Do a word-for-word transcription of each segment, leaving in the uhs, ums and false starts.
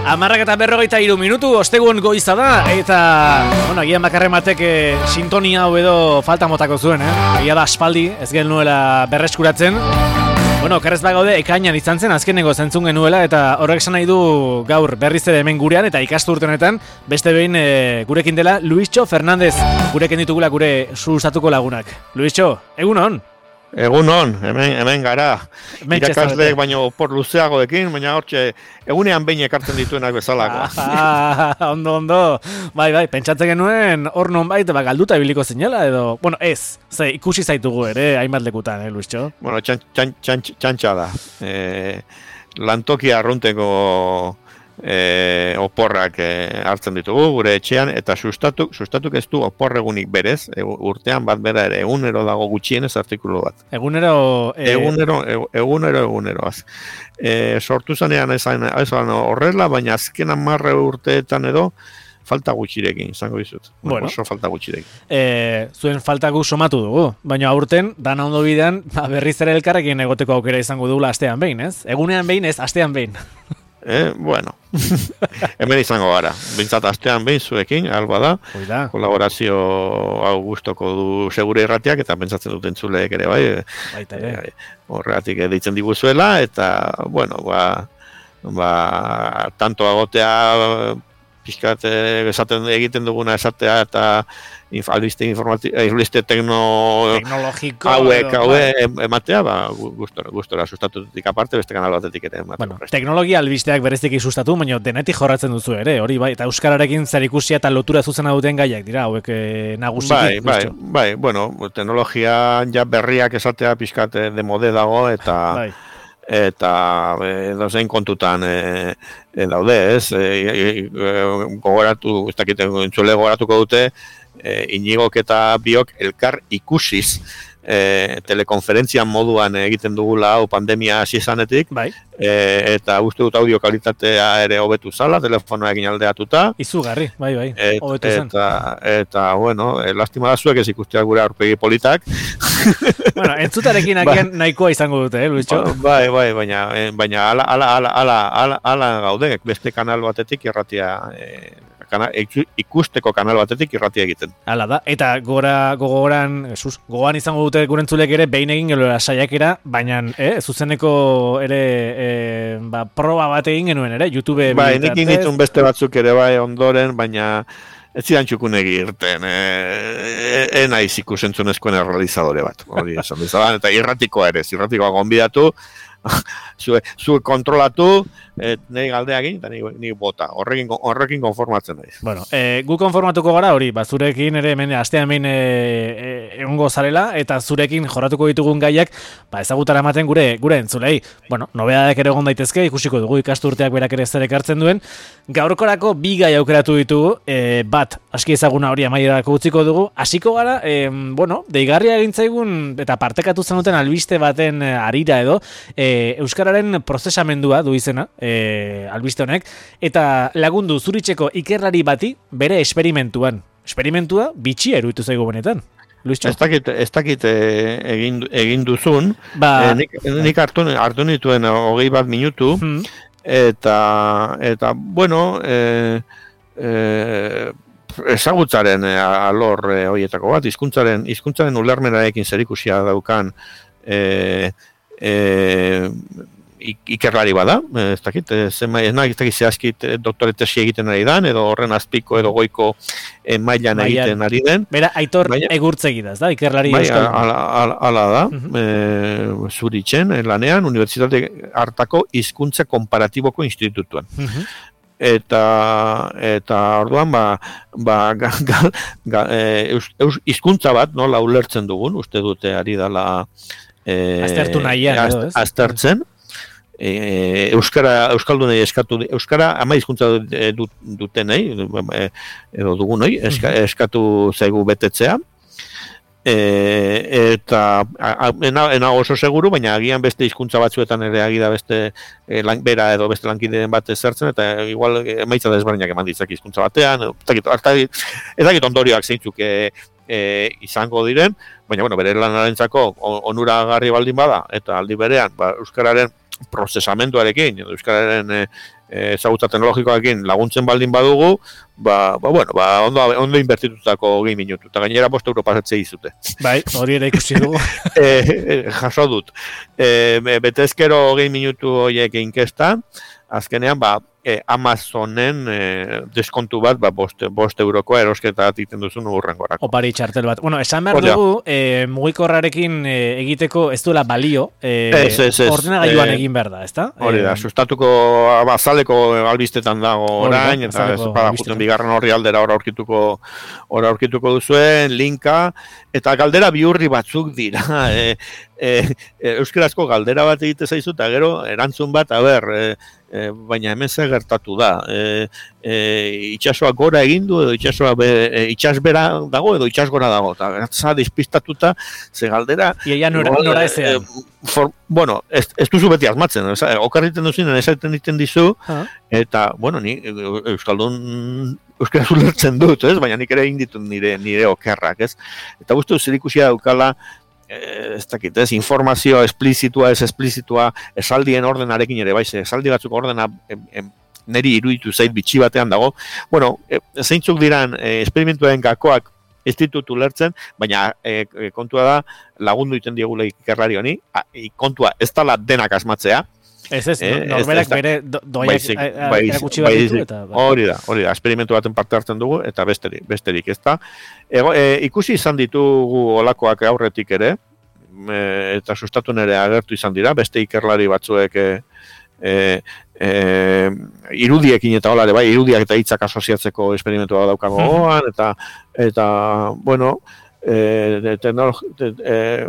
Amarrak eta berrogeita hiru minutu, ostegun goiza da, eta, bueno, agian bakarrematek e, sintonia hau edo falta motako zuen, eh? Egia da aspaldi, ez genuela berreskuratzen. Bueno, okerrez bagaude, ekainan izan zen, azkenengo zentzun genuela, eta horrek esan nahi du gaur berriz ere hemen gurean, eta ikasturte honetan, beste behin e, gurekin dela, Luistxo Fernandez, gurekin ditugula gure sustatuko lagunak. Luistxo, egun hon? Egun hon, hemen, hemen gara, irakasleek baino por luzeagoekin, baina hortxe, egunean behin ekartzen dituenak bezalako. Ah, ondo, ondo, bai, bai, pentsatzen genuen hor nonbait, ba, galduta ibiliko zinela, edo, bueno, ez, ze, ikusi zaitugu ere, hainbat lekutan, eh, Luistxo? Bueno, txan, txan, txan, txantxa da, e, lantokia arrunteko e, oporrak e, hartzen ditugu gure etxean, eta sustatuk, sustatuk ez du oporregunik berez, e, urtean bat bera ere, egunero dago gutxienez artikulu bat. Egunero... E... Egunero, e, egunero, eguneroaz. E, sortu zanean ezan, ezan horrela, baina azken hamarre urteetan edo, falta gutxirekin, izango dizut. Bueno, oso falta gutxirekin. E, zuen falta gu somatu dugu, baina aurten, dana ondo bidean, ba, berriz ere elkarrekin egoteko aukera izango dugula astean behin, ez? Egunean behin, ez, astean behin. Eh, bueno, hemen izango gara, bintzat astean behin zuekin, alba da, Oida. Kolaborazio hau gustoko du segure irratiak, eta pentsatzen duten zuleek ere, bai, baita ere. Horregatik deitzen diguzuela, eta, bueno, ba, ba, tanto agotea, pixkat esaten egiten duguna esatea, eta inf, albiste, albiste tekno, teknologiko hauek, hauek ematea, ba, gustora, gustora sustatutik aparte, beste kanal batetik ere ematea. Bueno, teknologia albisteak bereziki sustatu, baina denetik jorratzen duzu ere, hori bai, eta euskararekin zerikusia eta lotura zuzena duten gaiak dira, hauek eh, nagusiki. Bai, bai, bai, bueno, teknologia ja berriak esatea pixkat de mode dago, eta... Bai. Eta edo zein kontutan e, e, daude, ez? E, e, e, gogoratu, ez dakite, entzule gogoratuko dute, e, Inigok eta biok elkar ikusiz e, telekonferentzian moduan egiten dugula hau pandemia hasi izanetik, bai. E, eta uste dut audio kalitatea ere hobetu zala, telefonoekin aldeatuta. Izugarri, bai, bai, et, hobetu zen. Eta, eta bueno, e, lastima da zuek ez ikusteak gure aurpegi politak. Bueno, entzutarekin agian ba, nahikoa izango dute, eh, Luistxo? Bai, bai, baina, baina ala, ala, ala, ala, ala, ala gaude, beste kanal batetik irratia, e, kana, ikusteko kanal batetik irratia egiten. Hala da, eta gora, gogoran, Jesus, gogoan izango dute gurentzulek ere, behin egin geloera saiakera, baina, eh, zuzeneko ere, eh, ba, proba bat egin genuen ere, YouTube... Bai, nik initun beste batzuk ere bai ondoren, baina... Ez zidan txukunegi irten, e, e, naiz ikusentzunezkoen errealizadore bat, hori esan bezala, eta irratikoa ere, irratikoa gonbidatu, zue, zue kontrolatu, et, nahi galdeagin, eta nahi bota, horrekin, horrekin konformatzen naiz. Bueno, e, gu konformatuko gara hori, ba, zurekin ere hemen astean behin e, e, egongo zarela, eta zurekin jorratuko ditugun gaiak, ba, ezagutara ematen gure gure entzulei. Bueno, nobedadak ere egon daitezke, ikusiko dugu ikasturteak berak ere zer ekartzen duen. Gaurkorako bi gai aukeratu ditugu, e, bat, aski ezaguna hori amaierako utziko dugu, hasiko gara, e, bueno, deigarria egin zaigun, eta partekatu zenuten albiste baten arira edo, e, euskararen prozesamendua du izena, e, albiste honek, eta lagundu zuritzeko ikerlari bati bere esperimentuan. Esperimentua bitxia eruditu zaigu benetan. Luistxo? Ez dakit, ez dakit egin, egin duzun, ba, e, nik, nik hartu, hartu nituen hogei bat minutu, hmm. eta, eta, bueno, e, e, ezagutzaren alor e, horietako bat, hizkuntzaren hizkuntzaren ulermenarekin zerikusia daukan e, e, ikerlari bada, ez dakit, zema, ez dakit, ez dakit zehazkit doktore tesi egiten ari den, edo horren azpiko edo goiko eh, mailan egiten ari den. Bera, Aitor baina, egurtzegidaz, da, ikerlari bai, euskal. Ala, ala, ala da, uh-huh. e, zuritzen, lanean, Unibertsitate hartako hizkuntza konparatiboko institutuan. Uh-huh. Eta, eta orduan, ba, ba, ga, ga, ga, e, hizkuntza bat, nola ulertzen dugun, uste dute ari dela e, aztertu nahian, az, edo, ez? Aztertzen, E, euskara euskaldunei eskatu euskara ama hizkuntza dut, dutenei edo dugunoi eska, eskatu zaigu betetzea e, eta ena, ena oso seguru, baina agian beste hizkuntza batzuetan ere agida beste e, lan, bera edo beste lankideen bat ezertzen, eta igual emaitza desberdinak eman ditzak hizkuntza batean, ez dakit ondorioak zeintzuk e, e, izango diren, baina bueno, bere lanarentzako onuragarri baldin bada, eta aldi berean ba, euskararen prozesamenduarekin, euskararen e, ezagutza teknologikoekin laguntzen baldin badugu, ba, ba, bueno, ba, ondo, ondo inbertitutako hogei minutu, eta gainera bost euro pasatzea izute. Bai, hori ere ikusi dugu. e, e, jaso dut. E, betezkero hogei minutu horiek inkesta, azkenean, ba, e, Amazonen e, deskontu bat, ba, bost, bost eurokoa erosketa egiten duzun urrengorako. Opari txartel bat. Bueno, esan behar Oria. dugu, e, mugikorrarekin e, egiteko ez duela balio, e, Ez, ez, ez. ordenagailuan E, egin behar da, ezta? Hori da, E, sustatuko azaleko albistetan dago Hori da, orain, eta azaleko ez bada albistetan. juten bigarren horri aldera ora aurkituko ora aurkituko duzuen, linka, eta galdera bihurri batzuk dira. E, e, e, euskarazko galdera bat egite zaizu, eta gero, erantzun bat, a ber, e, e, baina hemen ze gertatu da. E, e, itxasoa gora egin du, edo itxasoa be, e, itxasbera dago, edo itxasgora dago. Eta za despistatuta, ze galdera... Iaia nora, igual, nora e, ezean. for, bueno, ez, ez duzu beti asmatzen, oza, okarriten duzinen esaten diten dizu, Ah. eta, bueno, ni Euskaldun euskaraz ulertzen dut, ez? Baina nik ere egin ditut nire, nire okerrak, ez? Eta guztu zerikusia daukala, eh, ez dakit, ez? Informazioa esplizitua, ez esplizitua, esaldien ordenarekin ere, bai, ze esaldi batzuk ordena em, em, niri iruditu zait bitxi batean dago. Bueno, e, zeintzuk diran e, esperimentuen gakoak ez ditut ulertzen, baina e, e, kontua da lagundu iten diegula ikerlari honi, a, e, kontua ez dala denak asmatzea. Ez ez, Eh, norberak ez da- bere do, doaiak Baizik, a- a- baizik, erakutsi bat ditu, baizik. eta... bai. Hori da, hori da, esperimentu baten parte hartzen dugu, eta besterik, besterik ez da. Ego, e, ikusi izan ditugu olakoak aurretik ere, e, eta sustatu nere agertu izan dira, beste ikerlari batzuek e, e, e, irudiekin eta holare, bai, irudiak eta hitzak asoziatzeko esperimentua daukago gogoan, eta, eta, bueno, e, teknologi, te, e,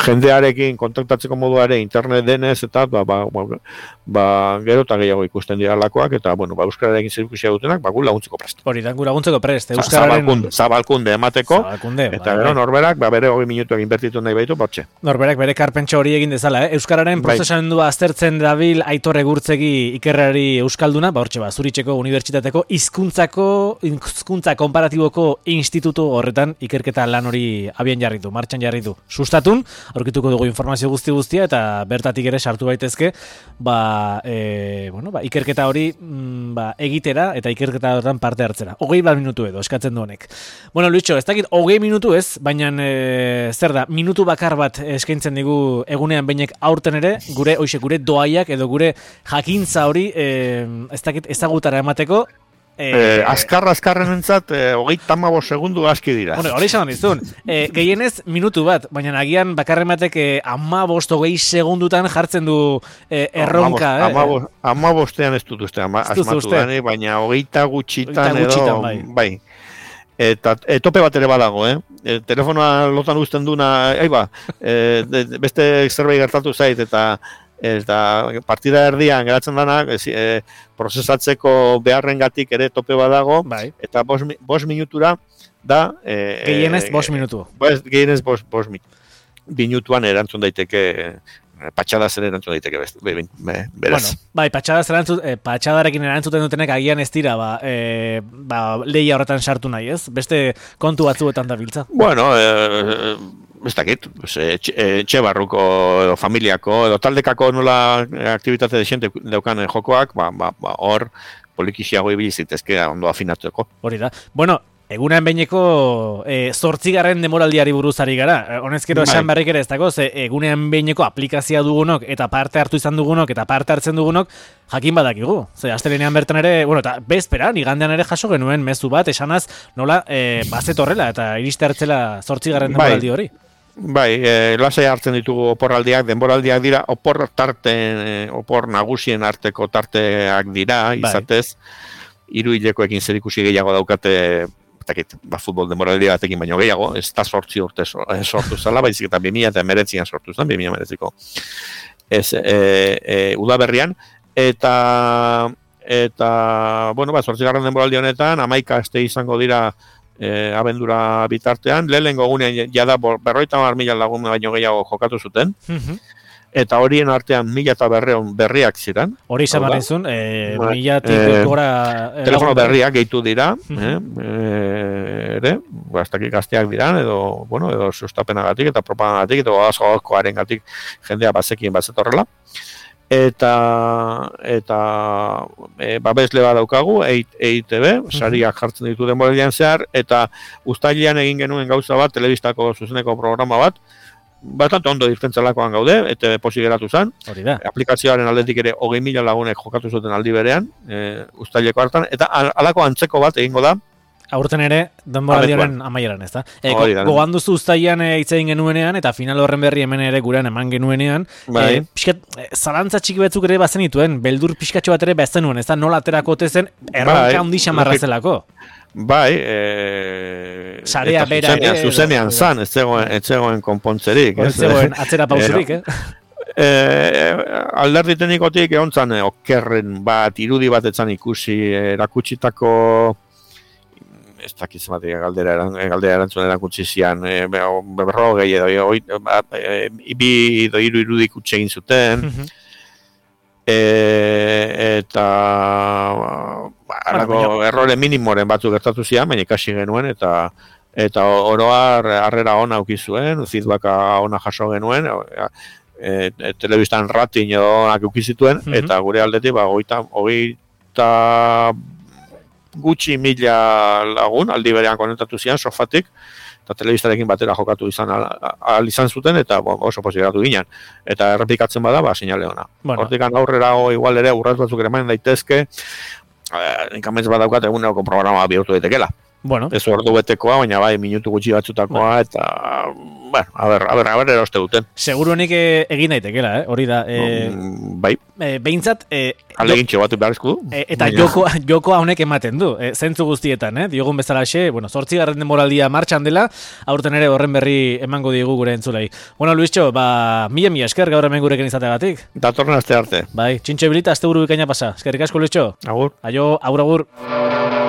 jendearekin kontaktatzeko moduare internet denez, eta ba, ba, ba, ba, gero eta gehiago ikusten dira lakoak, eta, bueno, ba, euskararekin zerikusia dutenak, ba, gu laguntzeko prest. Hori, dan laguntzeko prest, Za- euskararen... Zabalkunde, zabalkunde emateko, Zabalkunde, eta bai, gero bai. norberak, ba, bere hogei minutuak inbertitu nahi baitu, bortxe. Norberak bere karpentxo hori egin dezala, eh? Euskararen Bai. prozesamendua aztertzen dabil Aitor Egurtzegi ikerrari euskalduna, ba hortxe ba, Zuritzeko Unibertsitateko hizkuntzako hizkuntza konparatiboko institutu horretan ikerketa lan hori abian jarri du, martxan jarri du. Sustatun, aurkituko dugu informazio guzti guztia eta bertatik ere sartu daitezke, ba, e, bueno, ba, ikerketa hori mm, ba, egitera eta ikerketa horretan parte hartzera. Hogei bat minutu edo eskatzen du honek. Bueno, Luitxo, ez dakit hogei minutu ez, baina e, zer da, minutu bakar bat eskaintzen digu egunean bainek aurten ere, gure hoxe, gure doaiak edo gure jakintza hori e, ez dakit ezagutara emateko. E, Eh, azkar azkarren entzat, eh, hogeita hamabost segundu aski dira. Bueno, hori esan dizun. E, gehienez minutu bat, baina agian bakarren batek e, hamabost hogei segundutan jartzen du e, erronka. eh? Hamabost, hamabostean ez dut uste, ama, Ez duzu asmatu uste? dani, baina hogeita gutxitan Hogeita edo, gutxitan, bai. bai. Eta e, tope bat ere badago, eh? E, telefonoa lotan uzten duna, ai ba, e, de, de- beste zerbait gertatu zait, eta eta partida erdian geratzen dana, e, prozesatzeko beharrengatik ere tope badago, Bai. eta bost, mi- bost minutura da... E, Gehienez bost minutu. Bost, gehienez bost, bost mi- minutuan erantzun daiteke, e, patxadaz ere erantzun daiteke bez, be, be, be, beraz. Bueno, bai, patxadaz erantzut, eh, patxadarekin erantzuten dutenek agian ez dira, ba, eh, ba, lehia horretan sartu nahi, ez? Beste kontu batzuetan da biltza. Bueno, e, ez dakit, pues, etxe, etxe barruko edo familiako edo taldekako nola aktivitate desente daukan jokoak, ba, ba, ba, hor polikixiago ibili zitezke ondo afinatuko. Hori da. Bueno, egunean behineko e, zortzigarren demoraldiari buruz ari gara. E, honezkero Bai. esan berrik ere ez dago, ze egunean behineko aplikazioa dugunok eta parte hartu izan dugunok eta parte hartzen dugunok jakin badakigu. Ze astelenean bertan ere, bueno, eta bezperan, igandean ere jaso genuen mezu bat, esanaz nola e, bazet horrela eta iriste hartzela zortzigarren Bai. demoraldi hori. Bai, e, lasai hartzen ditugu oporraldiak, denboraldiak dira, opor tarte, e, opor nagusien arteko tarteak dira, Bai. izatez, hiru hilekoekin zerikusi gehiago daukate, etakit, ba, futbol denboraldi batekin baino gehiago, ez da sortzi urte so- eh, sortu zala, baizik eta bi mila eta hemeretzian sortu zen, bi mila hemeretziko. Ez, e, e, udaberrian, eta, eta, bueno, ba, zortzigarren denboraldi honetan, hamaika aste izango dira e, abendura bitartean, lehenengo egunean jada bo- berrogeita hamar mila lagun baino gehiago jokatu zuten, eta horien artean mila eta berreun berriak ziren. Hori esan Hau da. barrezun, e, Bai. milatik Eh, gora... eh, Telefono lagun- berriak gehitu dira, Mhm. eh, eh, ere, bastakik gazteak diran, edo, bueno, edo sustapenagatik eta propagandagatik, edo askoaren gatik jendea bazekien bazetorrela. eta eta e, babesle bat daukagu E I T B, sariak jartzen ditu denboraldian zehar, eta uztailean egin genuen gauza bat, telebistako zuzeneko programa bat, bastante ondo irtentzalakoan gaude, eta posi geratu zen. Hori da. Aplikazioaren aldetik ere hogei mila lagunek jokatu zuten aldi berean, e, uztaileko hartan, eta halako antzeko bat egingo da, aurten ere, denboraldiaren amaieran, ez da? E, gogan duzu uztailean hitz egin genuenean, eta final horren berri hemen ere gurean eman genuenean, bai. e, pixkat, e, zalantza txiki batzuk ere bazen dituen, beldur pixkatxo bat ere bazen nuen, ez da? Nola aterako otezen, erronka bai, handi xamarra zelako. Bai, e, sarea bera zuzenean, ere, zuzenean edo, zan, ez zegoen, ez zegoen konpontzerik. Ez zegoen atzera pausurik, eh? E, alderdi teknikotik egon zan, okerren bat, irudi bat etzan ikusi, erakutsitako ez dakiz bat galdera galdera erantzun erakutsi zian e, berrogei edo e, bi edo hiru irudik utxe egin zuten mm-hmm. e, eta halako bueno, errore minimoren batzuk gertatu zian, baina ikasi genuen eta eta oroar harrera ona auki zuen, feedbacka ona jaso genuen, e, e, telebistan rating edo onak auki zituen mm-hmm. eta gure aldetik ba hogeita gutxi mila lagun, aldi berean konektatu zian, sofatik, eta telebistarekin batera jokatu izan al, al izan zuten, eta bon, oso posibiratu ginen. Eta errepikatzen bada, ba, sinale ona. Bueno. Hortikan aurrera igual ere, urraz batzuk ere main daitezke, eh, ninkamez bat daukat eguneroko programa bihurtu daitekela. Bueno. Ez ordu betekoa, baina bai, minutu gutxi batzutakoa, bueno. Eta, bueno, a ber, a ber, a ber, eroste duten. Seguro nik egin daitekela, eh? Hori da. Eh, mm, bai. Eh, behintzat... Eh, Alegin txobatu beharrezko du. Eh, eta joko, joko honek ematen du. Eh, zentzu guztietan, eh? Diogun bezalaxe, bueno, zortzigarren denboraldia martxan dela, aurten ere horren berri emango diegu gure entzulei. Bueno, Luistxo, ba, mila mila esker gaur hemen gurekin izateagatik. Datorren aste arte. Bai, txintxe bilita, aste buru bikaina pasa. Eskerrik asko, Luistxo. Agur. Aio, agur, agur.